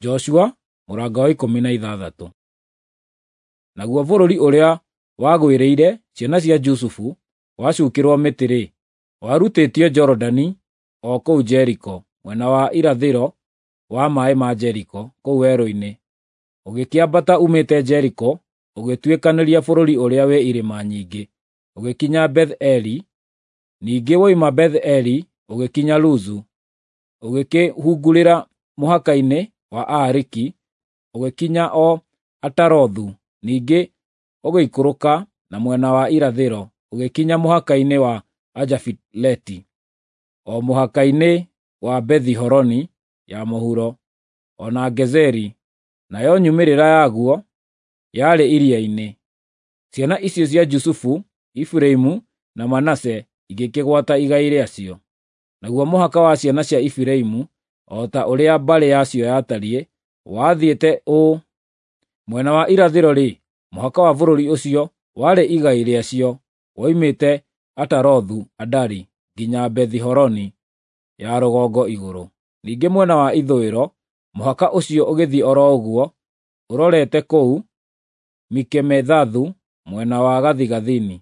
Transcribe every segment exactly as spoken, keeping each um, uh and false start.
Joshua mũrango wa ikũmi na ithathatũ. Naguo bũrũri ũrĩa wagwĩrĩire ciana cia Jusufu wacukĩrwo mĩtĩ-rĩ, warutĩtio Jorodani o kũu Jeriko, mwena wa irathĩro wa maaĩ ma Jeriko, kũu werũ-inĩ, ũgĩkĩambata uumĩte Jeriko ũgĩtuĩkanĩria bũrũri ũrĩa wĩ irĩma nyingĩ, ũgĩkinya Beth-eli. Ningĩ woima Beth-eli ũgĩkinya Luzu, ũgĩkĩhungurĩra mũhaka-inĩ wa Aariki, ũgĩkinya o Atarothu, ningĩ ũgĩikũrũka na mwena wa irathĩro, ũgĩkinya mũhaka-inĩ wa Ajafileti, o mũhaka-inĩ wa Bethi-Horoni ya mũhuro, o na Gezeri, nayo nyumĩrĩra yaguo yarĩ iria-inĩ. Ciana icio cia Jusufu, Efiraimu na Manase igĩkĩgwata igai rĩacio. Naguo mũhaka wa ciana cia Efiraimu, o ta ũrĩa mbarĩ yacio yatariĩ, wathiĩte ũũ: mwena wa irathĩro-rĩ, mũhaka wa bũrũri ũcio warĩ igai rĩacio woimĩte Atarothu-Adari nginya Bethi-Horoni ya rũgongo igũrũ. Ningĩ mwena wa ithũĩro, mũhaka ũcio ũgĩthiĩ o ro ũguo ũrorete kũu Mikemethathu mwena wa gathigathini,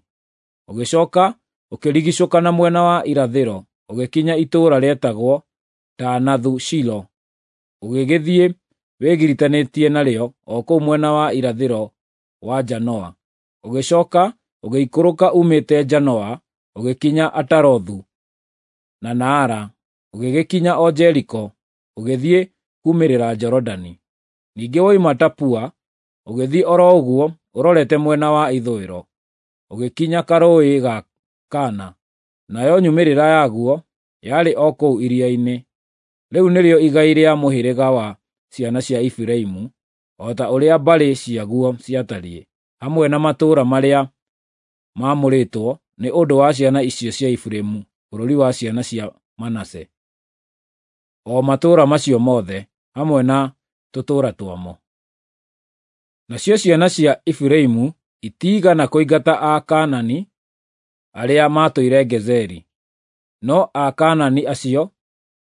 ũgĩcooka ũkĩrigiicũka na mwena wa irathĩro ũgĩkinya itũũra rĩetagwo Taanathu-Shilo, ũgĩgĩthiĩ wĩgiritanĩtie narĩo o kũu mwena wa irathĩro wa Janoa. Ũgĩcooka ũgĩikũrũka uumĩte Janoa ũgĩkinya Atarothu na Naara, ũgĩgĩkinya o Jeriko, ũgĩthiĩ kuumĩrĩra Jorodani. Ningĩ woima Tapua ũgĩthiĩ o ro ũguo ũrorete mwena wa ithũĩro, ũgĩkinya Karũũĩ ga Kana, nayo nyumĩrĩra yaguo yarĩ o kũu iria-inĩ. Rĩu nĩrĩo igai rĩa mũhĩrĩga wa ciana cia Efiraimu, o ta ũrĩa mbarĩ ciaguo ciatariĩ, hamwe na matũũra marĩa maamũrĩtwo nĩ ũndũ wa ciana icio cia Efiraimu bũrũri wa ciana cia Manase, o matũũra macio mothe, hamwe na tũtũũra twamo. Nacio ciana cia Efiraimu itiigana kũingata Akaanani arĩa maatũire Gezeri, no Akaanani acio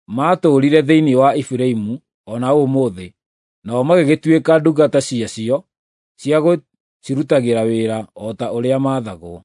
maatũũrire thĩinĩ wa Efiraimu o na ũmũthĩ, nao magĩgĩtuĩka ndungata ciacio cia gũcirutagĩra wĩra o ta ũrĩa maathagwo.